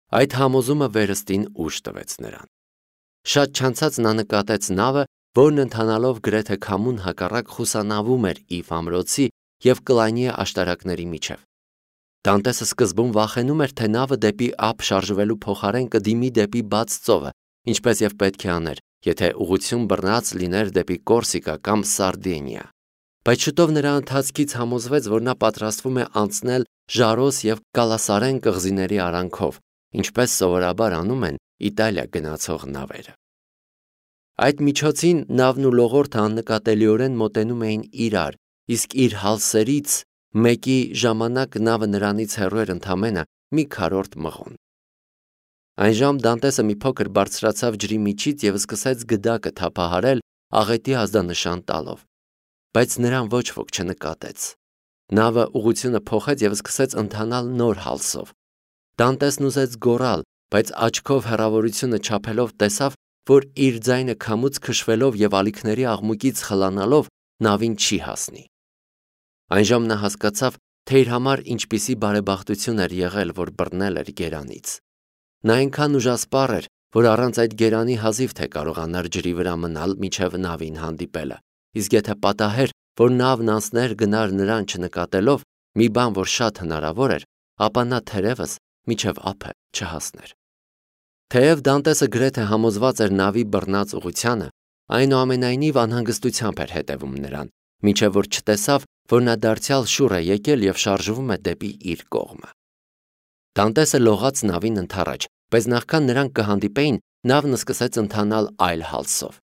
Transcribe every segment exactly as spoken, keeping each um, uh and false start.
Այդ համոզումը վերստին ուժ տվեց նրան։ Շատ չանցած նա նկատեց նավը, որն ընթանալով գրեթե քամուն հակառակ խուսանավում էր Իվ ամրոցի և Կլայնիե աշտարակների միջև։ Դանտեսը սկզբում վախենում էր, թե նավը դեպի ափ շարժվելու փոխարեն կդիմի դեպի բաց ծովը, ինչպես և պետք է աներ, եթե ուղղություն բռնած լիներ դեպի Կորսիկա կամ Սարդինիա։ Բայց շուտով նրա ընթացքից համոզվեց, որ նա պատրաստվում է անցնել Ժարոս և Կալասարեն կղզիների արանքով, ինչպես սովորաբար անում են Իտալիա գնացող նավերը։ Այդ միջոցին նավն ու լողորդը աննկատելիորեն մոտենում էին իրար, իսկ իր հալսերից մեկի ժամանակ նավը նրանից հեռու էր ընդամենը մի քառորդ մղոն։ Այն ժամ Դանտեսը մի փոքր բարձրացավ ջրի միջից և սկսեց գդակը թափահարել աղետի ազդանշան տալով, բայց նրան ոչ ոք չնկատեց։ Նավը ուղղությունը փոխեց և սկսեց ընթանալ նոր հալսով։ Դանտեսն ուզեց գոռալ, բայց աչքով հեռավորությունը չափելով տեսավ, որ իր ձայնը քամուց քշվելով և ալիքների աղմուկից խլանալով նավին չի հասնի։ Այն ժամ նա հասկացավ, թե իր համար ինչպիսի բարեբախտություն էր եղել, որ բռնել էր գերանից։ Նա այնքան ուժասպառ էր, որ առանց այդ գերանի հազիվ թե կարողանար ջրի վրա մնալ մինչև նավին հանդիպելը, իսկ եթե պատահեր, որ նավն անցներ գնար նրան չնկատելով, մի բան, որ շատ հնարավոր էր, ապա նա թերևս մինչև ափը չհասներ։ Թեև Դանտեսը գրեթե համոզված էր նավի բռնած ուղղությանը, այնուամենայնիվ անհանգստությամբ էր հետևում նրան, մինչև որ չտեսավ, որ նա դարձյալ շուռ է եկել և շարժվում է դեպի իր կողմը։ Դանտեսը լողաց նավին ընդառաջ, բայց նախքան նրանք կհանդիպեին, նավն սկսեց ընթանալ այլ հալսով։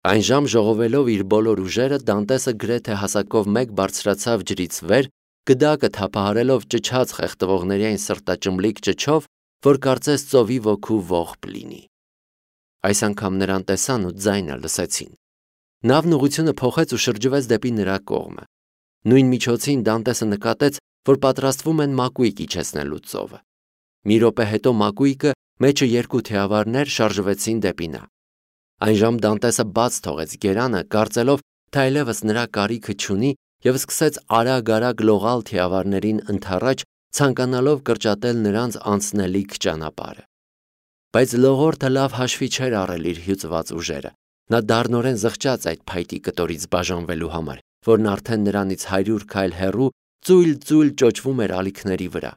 Այն ժամ ժողովելով իր բոլոր ուժերը, Դանտեսը գրեթե հասակով մեկ բարձրացավ ջրից վեր, գդակը թափահարելով ճչաց խեղդվողների այն սրտաճմլիկ ճչով, որ կարծես ծովի ոգու ողբ լինի։ Այս անգամ նրան տեսան ու ձայնը լսեցին։ Նավն ուղղությունը փոխեց ու շրջվեց դեպի նրա կողմը։ Նույն միջոցին Դանտեսը նկատեց, որ պատրաստվում են մակույկ իջեցնելու ծովը։ Մի րոպե հետո մակույկը մեջը երկու թիավարներ շարժվեցին դեպի նա։ Այն ժամ Դանտեսը բաց թողեց գերանը, կարծելով, թե այլևս նրա կարիքը չունի և սկսեց արագ-արագ լողալ թիավարներին ընդառաջ, ցանկանալով կրճատել նրանց անցնելիք ճանապարհը։ Բայց լողորդը լավ հաշվի չէր առել իր հյուծված ուժերը։ Նա դառնորեն զղջաց այդ փայտի կտորից բաժանվելու համար, որն արդեն նրանից հարյուր քայլ հեռու ծույլ-ծույլ ճոճվում էր ալիքների վրա։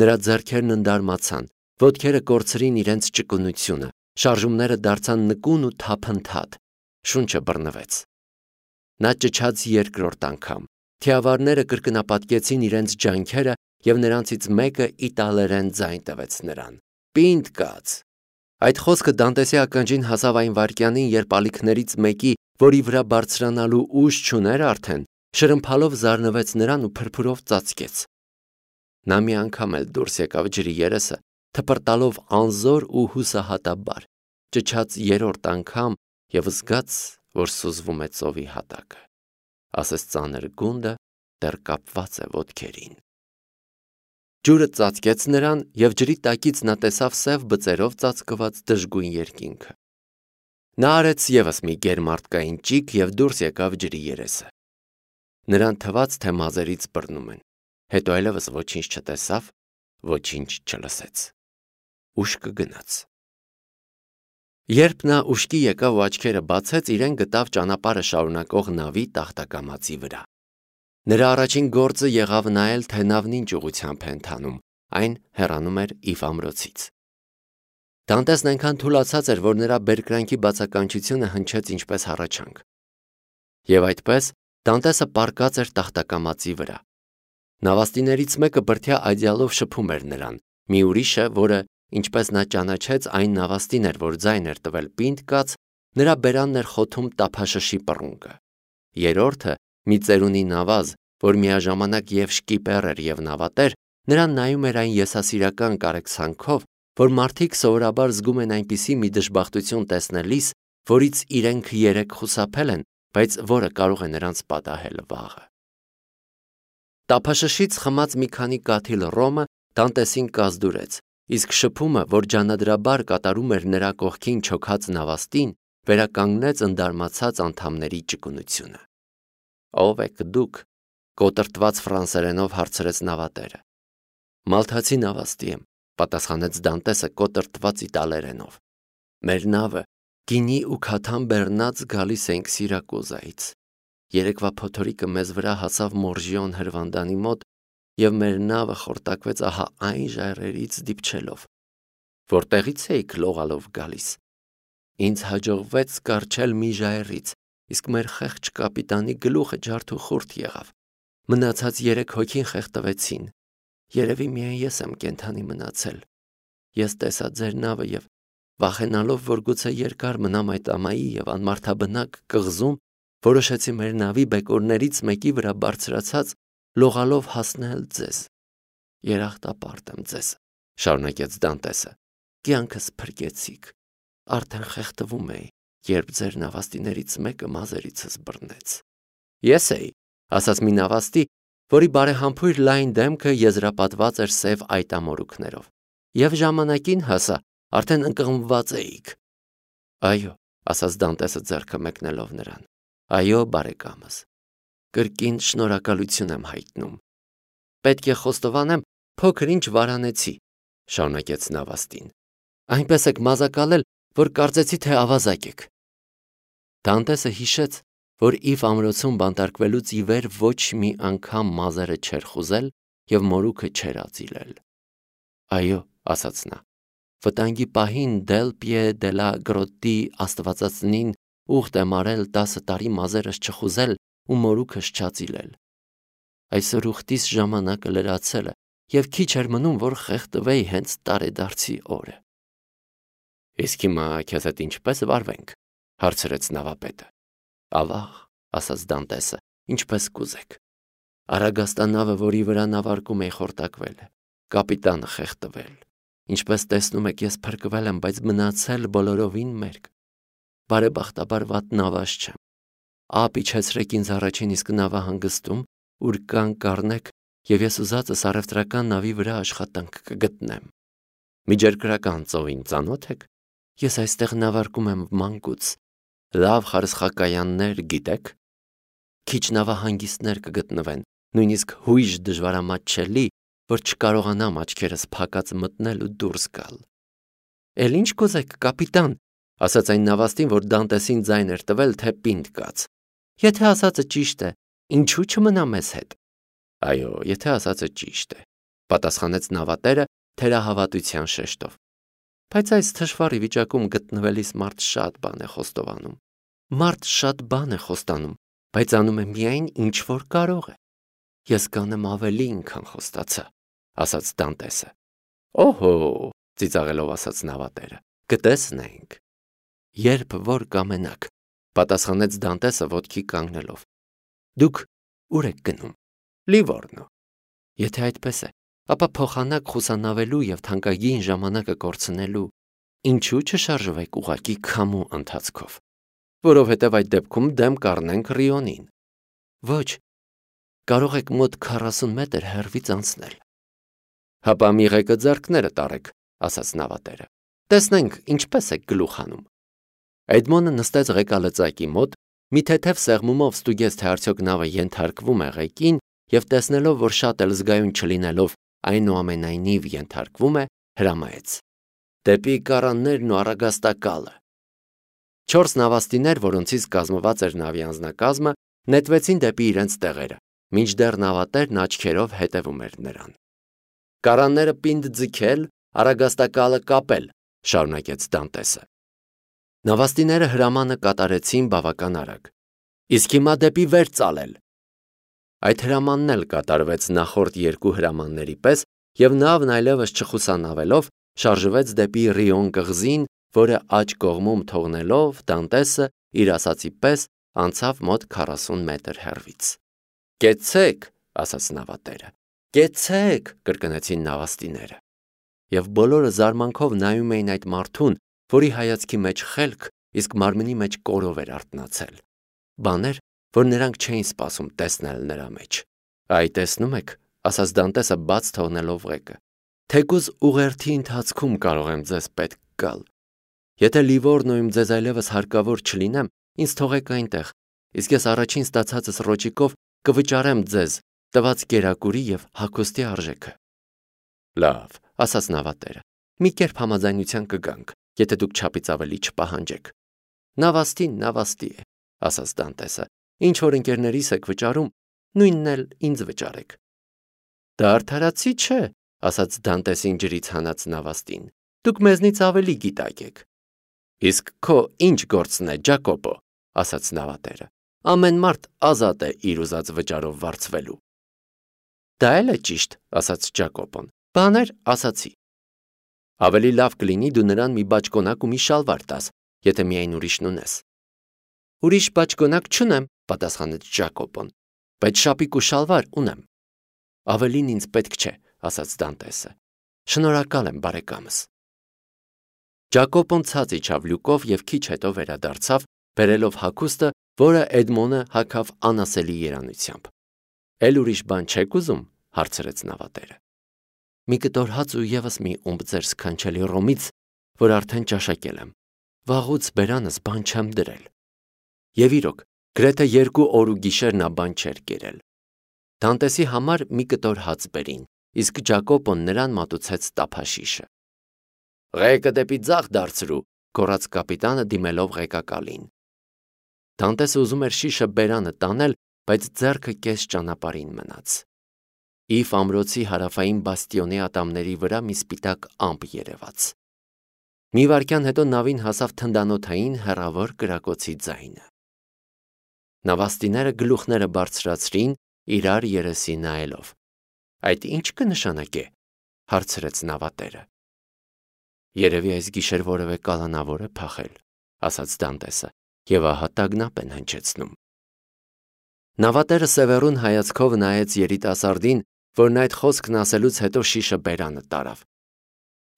Նրա ձեռքերն ընդարմացան, ոտքերը կորցրին իրենց ճկունությունը, շարժումները դարձան նկուն ու թափընթադ, շունչը բռնվեց։ Նա ճչաց երկրորդ անգամ։ Թիավարները կրկնապատկեցին իրենց ջանքերը և նրանցից մեկը իտալերեն ձայն տվեց նրան. «Պինդ կաց»։ Այդ խոսքը Դանտեսի ականջին հասավ այն վայրկյանին, երբ ալիքներից մեկի, որի վրա բարձրանալու ուժ չուներ արդեն, շրմփալով զարնվեց նրան ու փրփուրով ծածկեց։ Նա մի անգամ էլ դուրս եկավ ջրի երեսը, թպրտալով անզոր ու հուսահատաբար, ճչաց երրորդ անգամ և զգաց, որ սուզվում է ծովի հատակը, ասես ծանր գունդը դեռ կապված է ոտքերին։ Ջուրը ծածկեց նրան, և ջրի տակից նա տեսավ սև բծերով ծածկված դժգույն երկինքը։ Նա արեց ևս մի գերմարդկային ճիգ և դուրս եկավ ջրի երեսը։ Նրան թվաց, թե մազերից բռնում են, հետո այլևս ոչինչ չտեսավ, ոչինչ չլսեց։ Ուշքը գնաց։ Երբ նա ուշքի եկավ ու աչքերը բացեց, իրեն գտավ ճանապարհը շարունակող նավի տախտակամածի վրա։ Նրա առաջին գործը եղավ նայել, թե նավն ինչ ուղղությամբ է ընթանում, այն հեռանում էր Իվ ամրոցից։ Դանտեսն այնքան թուլացած էր, որ նրա բերկրանքի բացականչությունը հնչեց ինչպես հառաչանք։ Եվ այդպես Դանտեսը պառկած էր տախտակամածի վրա։ Նավաստիներից մեկը բրդյա այդյալով շփում էր նրան, մի ուրիշը, որը, ինչպես նա ճանաչեց, այն նավաստին էր, որ ձայն էր տվել «պինդ կաց», նրա բերանն էր խոթում տափաշշի պռունգը։ Երրորդը, մի ծերունի նավազ, որ միաժամանակ և շկիպեր էր և նավատեր, նրան նայում էր այն եսասիրական կարեկցանքով, որ մարդիկ սովորաբար զգում են այնպիսի մի դժբախտություն տեսնելիս, որից իրենք երեկ խուսափել են, բայց որը կարող է նրանց պատահել վաղը։ Տափաշշից խմած մի քանի կաթիլ ռոմը Դանտեսին կազդուրեց, իսկ շփումը, որ ջանադրաբար կատարում էր նրա կողքին չոքած նավաստին, վերականգնեց ընդարմացած անդամների ճկունությունը։ «Ո՞վ եք դուք», կոտրտված ֆրանսերենով հարցրեց նավատերը։ «Մալթացի նավաստի եմ, պատասխանեց Դանտեսը կոտրտված իտալերենով։ Մեր նավը գինի ու քաթան բեռնած գալիս ենք Սիրակուզայից։ Երեկվա փոթորիկը մեզ վրա հասավ Մորժիոն հրվանդանի մոտ և մեր նավը խորտակվեց ահա այն ժայռերից դիպչելով։ Որտեղից էիք լողալով գալիս։ Ինձ հաջողվեց կառչել մի ժայռից, իսկ մեր խեղճ կապիտանի գլուխը ջարդուխուրդ եղավ։ Մնացած երեք հոգին խեղդվեցին։ Երևի միայն ես եմ կենդանի մնացել։ Ես տեսա ձեր նավը և վախենալով, որ գուցե երկար մնամ այդ ամայի և անմարդաբնակ կղզում, որոշեցի մեր նավի բեկորներից մեկի վրա բարձրացած լողալով հասնել ձեզ։ Երախտապարտ եմ ձեզ, շարունակեց Դանտեսը։ Կյանքս փրկեցիք։ Արդեն խեղդվում էի, երբ ձեր նավաստիներից մեկը մազերիցս բռնեց։ Ես էի, ասաց մի նավաստի, որի բարեհամբույր լայն դեմքը եզրապատված էր սև այտամորուքներով։ Եվ ժամանակին հասա, արդեն ընկղմված էիք։ Այո, ասաց Դանտեսը ձեռքը մեկնելով նրան։ Այո, բարեկամս։ Կրկին շնորհակալություն եմ հայտնում։ Պետք է խոստովանեմ, փոքր ինչ վարանեցի, շարունակեց նավաստին։ Այնպես եք մազակալել, որ կարծեցի, թե ավազակ եք։ Դանտեսը հիշեց, որ Իվ ամրոցում բանտարկվելուց ի վեր ոչ մի անգամ մազերը չէր խուզել և մորուքը չէր ածիլել։ Այո, ասաց նա, վտանգի պահին Դել Պիե դե լա Գրոտի աստվածածնին ուխտ եմ արել տասը տարի մազերս չխուզել ու մորուքս չածիլել։ Այսօր ուխտիս ժամանակը լրացել է և քիչ էր մնում, որ խեղդվեի հենց տարեդարձի օրը։ Իսկ հիմա քեզ հետ ինչպես վարվենք, հարցրեց նավապետը։ Ավաղ, ասաց Դանտեսը, ինչպես կուզեք։ Արագաստանավը, որի վրա նավարկում էի, խորտակվել է, կապիտանը խեղդվել։ Ինչպես տեսնում եք, ես փրկվել եմ, բայց մնացել բոլորովին մերկ։ Բարեբախտաբար վատ նավաշ չեմ։ Ափ իջեցրեք ինձ առաջին իսկ նավահանգստում, ուր կան կառնեք, և ես ուզածս առևտրական նավի վրա աշխատանք կգտնեմ։ Միջերկրական ծովին ծանոթ եք։ Ես այստեղ նավարկում եմ մանկուց։ Լավ խարսխակայաններ գիտեք։ Քիչ նավահանգիստներ կգտնվեն, նույնիսկ հույժ դժվարամատչելի, որ չկարողանամ աչքերս փակած մտնել ու դուրս գալ։ Էլ ինչ կուզեք, կապիտան, ասաց այն նավաստին, որ Դանտեսին ձայն էր տվել, թե պինդ կաց։ Եթե ասածը ճիշտ է, ինչու չմնա մեզ հետ։ Այո, եթե ասածը ճիշտ է, պատասխանեց նավատերը թերահավատության շեշտով։ Բայց այս թշվառ վիճակում գտնվելիս մարդ շատ բան է խոստովանում։ Մարդ շատ բան է խոստանում, բայց անում է միայն ինչ որ կարող է։ Ես կանեմ ավելին, քան խոստացա, ասաց Դանտեսը։ Օհո, ծիծաղելով ասաց նավատերը, կտեսնենք։ Երբ որ կամենաք, պատասխանեց Դանտեսը ոտքի կանգնելով։ Դուք ուր եք գնում։ Լիվորնո։ Եթե այդպես է, ապա փոխանակ խուսանավելու և թանկագին ժամանակը կորցնելու, ինչու չշարժվեք ուղղակի քամու ընթացքով, որովհետև այդ դեպքում դեմ կառնենք Ռիոնին։ Ոչ, կարող եք մոտ քառասուն մետր հեռվից անցնել։ Հապա մի ղեկը ձեռքները տարեք, ասաց նավատերը։ Տեսնենք ինչպես եք գլուխ հանում։ Էդմոնը նստեց ղեկալծակի մոտ, մի թեթև սեղմումով ստուգեց, թե արդյոք նավը ենթարկվում է ղեկին և տեսնելով, որ շատ էլ զգայուն չլինելով, այնուամենայնիվ ենթարկվում է, հրամայեց. Դեպի կառաններն ու առագաստակալը։ Չորս նավաստիներ, որոնցից կազմված էր նավի անձնակազմը, նետվեցին դեպի իրենց տեղերը, մինչդեռ նավատերն աչքերով հետևում էր նրան։ Կառանները պինդ ձգել, առագաստակալը կապել, շարունակեց Դանտեսը։ Նավաստիները հրամանը կատարեցին բավական արագ։ Իսկ հիմա դեպի վեր ծալել։ Այդ հրամանն էլ կատարվեց նախորդ երկու հրամանների պես, և նավն այլևս չխուսանավելով շարժվեց դեպի Ռիոն կղզին, որը աջ կողմում թողնելով Դանտեսը իր ասածի պես անցավ մոտ քառասուն մետր հեռվից։ Կեցցեք, ասաց նավատերը։ Կեցցեք, կրկնեցին նավաստիները։ Եվ բոլորը զարմանքով նայում էին այդ մարդուն, որի հայացքի մեջ խելք, իսկ մարմնի մեջ կորով էր արթնացել։ Բաներ, որ նրանք չէին սպասում տեսնել նրա մեջ։ Այ տեսնում եք, ասաց Դանտեսը բաց թողնելով ղեկը, թեկուզ ուղերթի ընթացքում կարող եմ ձեզ պետք գալ։ Եթե Լիվորնոյում ձեզ այլևս հարկավոր չլինեմ, ինձ թողեք այնտեղ, իսկ ես առաջին ստացածս ռոճիկով կվճարեմ ձեզ տված կերակուրի և հագուստի արժեքը։ Լավ, ասաց նավատերը։ Մի կերպ համաձայնության կգանք, եթե դուք չափից ավելի չպահանջեք։ Նավաստին նավաստի է, ասաց Դանտեսը։ Ինչ որ ընկերներիս եք վճարում, նույնն էլ ինձ վճարեք։ Դա արդարացի չէ, ասաց Դանտեսին ջրից հանած նավաստին։ Դուք մեզնից ավելի գիտակ եք։ Իսկ քո ինչ գործն է, Ջակոպո, ասաց նավատերը։ Ամեն մարդ ազատ է իր ուզած վճարով վարձվելու։ Դա էլ է ճիշտ, ասաց Ջակոպոն։ Բաներ ասացի։ Ավելի լավ կլինի դու նրան մի բաճկոնակ ու մի շալվար տաս, եթե միայն ուրիշն ունես։ Ուրիշ բաճկոնակ չունեմ, պատասխանեց Ջակոպոն, բայց շապիկ ու շալվար ունեմ։ Ավելին ինձ պետք չէ, ասաց Դանտեսը։ Շնորհակալ եմ, բարեկամս։ Ջակոպոն ցած իջավ լյուկով և քիչ հետո վերադարձավ, բերելով հագուստը, որը Էդմոնը հագավ անասելի երանությամբ։ Էլ ուրիշ բան չեք ուզում, հարցրեց նավատերը։ Մի կտոր հաց ու ևս մի ումբ ձեր սքանչելի ռոմից, որ արդեն ճաշակել եմ։ Վաղուց բերանս բան չեմ դրել։ Եվ իրոք, գրեթե երկու օր ու գիշեր նա բան չէր կերել։ Դանտեսի համար մի կտոր հաց բերին, իսկ Ջակոպոն նրան մատուցեց տափաշիշը։ Ղեկը դեպի ձախ դարձրու, գոռաց կապիտանը դիմելով ղեկակալին։ Դանտեսը ուզում էր շիշը բերանը տանել, բայց ձեռքը կես ճանապարհին մնաց։ Իֆ ամրոցի հարավային բաստիոնի ատամների վրա մի սպիտակ ամպ երևաց։ Մի վայրկյան հետո նավին հասավ թնդանոթային հեռավոր կրակոցի ձայնը։ Նավաստիները գլուխները բարձրացրին, իրար երեսի նայելով։ Այդ ինչ կնշանակե, հարցրեց նավատերը։ Երևի այս գիշեր որևէ կալանավոր է փախել, ասաց Դանտեսը, եւ ահա տագնապ են հնչեցնում։ Նավատերը սևեռուն հայացքով նայեց երիտասարդին, որն այդ խոսքն ասելուց հետո շիշը բերանը տարավ։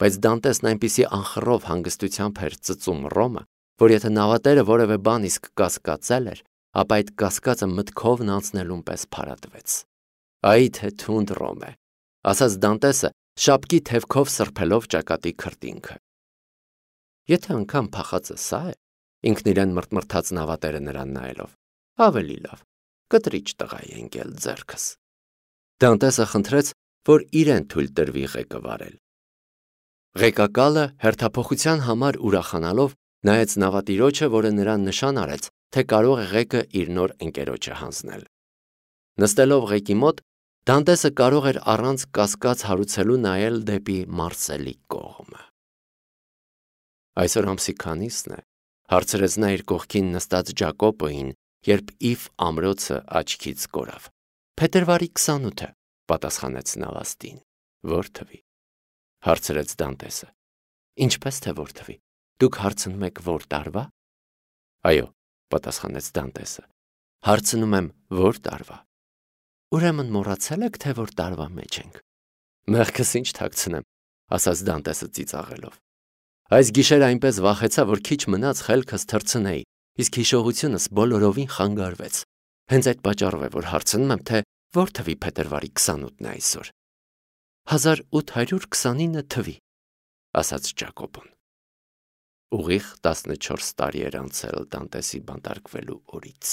Բայց Դանտեսն այնպիսի անխռով հանգստությամբ էր ծծում ռոմը, որ եթե նավատերը որևէ բան իսկ կասկածել էր, ապա այդ կասկածը մտքովն անցնելուն պես փարատվեց։ Այ թե թունդ ռոմ է, ասաց Դանտեսը, շապկի թևքով սրբելով ճակատի քրտինքը։ Եթե անգամ փախածը սա է, ինքն իրեն մրթմրթաց նավատերը նրան նայելով, ավելի լավ, կտրիչ տղա է ընկել ձեռքս։ Դանտեսը խնդրեց, որ իրեն թույլ տրվի ղեկը վարել։ Ղեկակալը հերթափոխության համար ուրախանալով նայեց նավատիրոջը, որը նրան նշան արեց, թե կարող է ղեկը իր նոր ընկերոջը հանձնել։ Նստելով ղեկի մոտ, Դանտեսը կարող էր առանց կասկած հարուցելու նայել դեպի Մարսելի կողմը։ Այսօր ամսի քանիսն է, հարցրեց նա իր կողքին նստած Ջակոպոին, երբ Իֆ ամրոցը աչքից կորավ։ Փետրվարի քսանութը, պատասխանեց նավաստին։ Որ թվի, հարցրեց Դանտեսը։ Ինչպես թե որ թվի, դուք հարցնում եք որ տարվա։ Այո, պատասխանեց Դանտեսը։ Հարցնում եմ որ տարվա։ Ուրեմն մոռացել եք, թե որ տարվա մեջ ենք։ Մեղքս ինչ թաքցնեմ, ասաց Դանտեսը ծիծաղելով։ Այս գիշեր այնպես վախեցա, որ քիչ մնաց խելքս թռցնեի, իսկ հիշողությունս բոլորովին խանգարվեց։ Հենց այդ պատճառով է, որ հարցնում եմ, թե որ թվի փետրվարի քսանութն է այսօր։ հազար ութ հարյուր քսանինը թվի, ասաց Ջակոպոն։ Ուղիղ տասնչորս տարի էր անցել Դանտեսի բանտարկվելու օրից։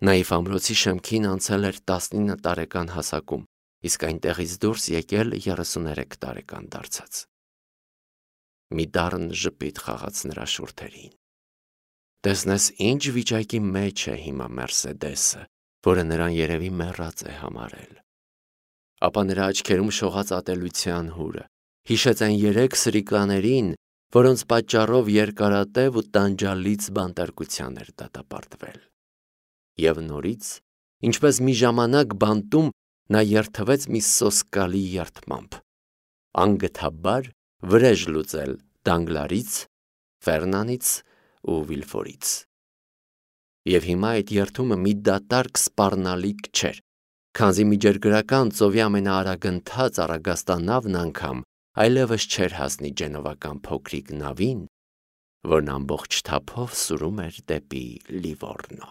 Նա Իֆ ամրոցի շեմքին անցել էր տասնինը տարեկան հասակում, իսկ այնտեղից դուրս եկել երեսուներեք տարեկան դարձած։ Մի դառն ժպիտ խաղաց նրա շուրթերին։ Տեսնես ինչ վիճակի մեջ է հիմա Մերսեդեսը, որը նրան երևի մեռած է համարել։ Ապա նրա աչքերում շողաց ատելության հուրը, հիշեց այն երեք սրիկաներին, որոնց պատճառով երկարատև ու տանջալից բանտարկության էր դատապարտվել։ Եվ նորից, ինչպես մի ժամանակ բանտում, նա երթվեց մի սոսկալի երդմամբ, անգթաբար վրեժ լուծել Դանգլարից, Ֆերնանից ու Վիլֆորից։ Եվ հիմա այդ երթումը մի դատարկ սպառնալիք չէր, քանզի միջերգրական ծովի ամենաարագընթաց առագաստանավն անգամ այլևս չէր հասնի Ջենովական փոքրիկ նավին, որն ամբողջ թափով սուրում էր դեպի Լիվորնո։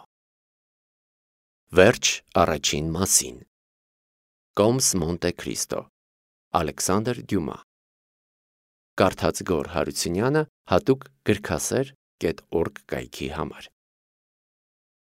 Վերջ առաջին մասին։ Կոմս Մոնտե Քրիստո, Ալեքսանդր Դյումա։ Կարդաց Գոռ Հարությունյանը հատուկ գրքասեր կետ օրգ կայքի համար։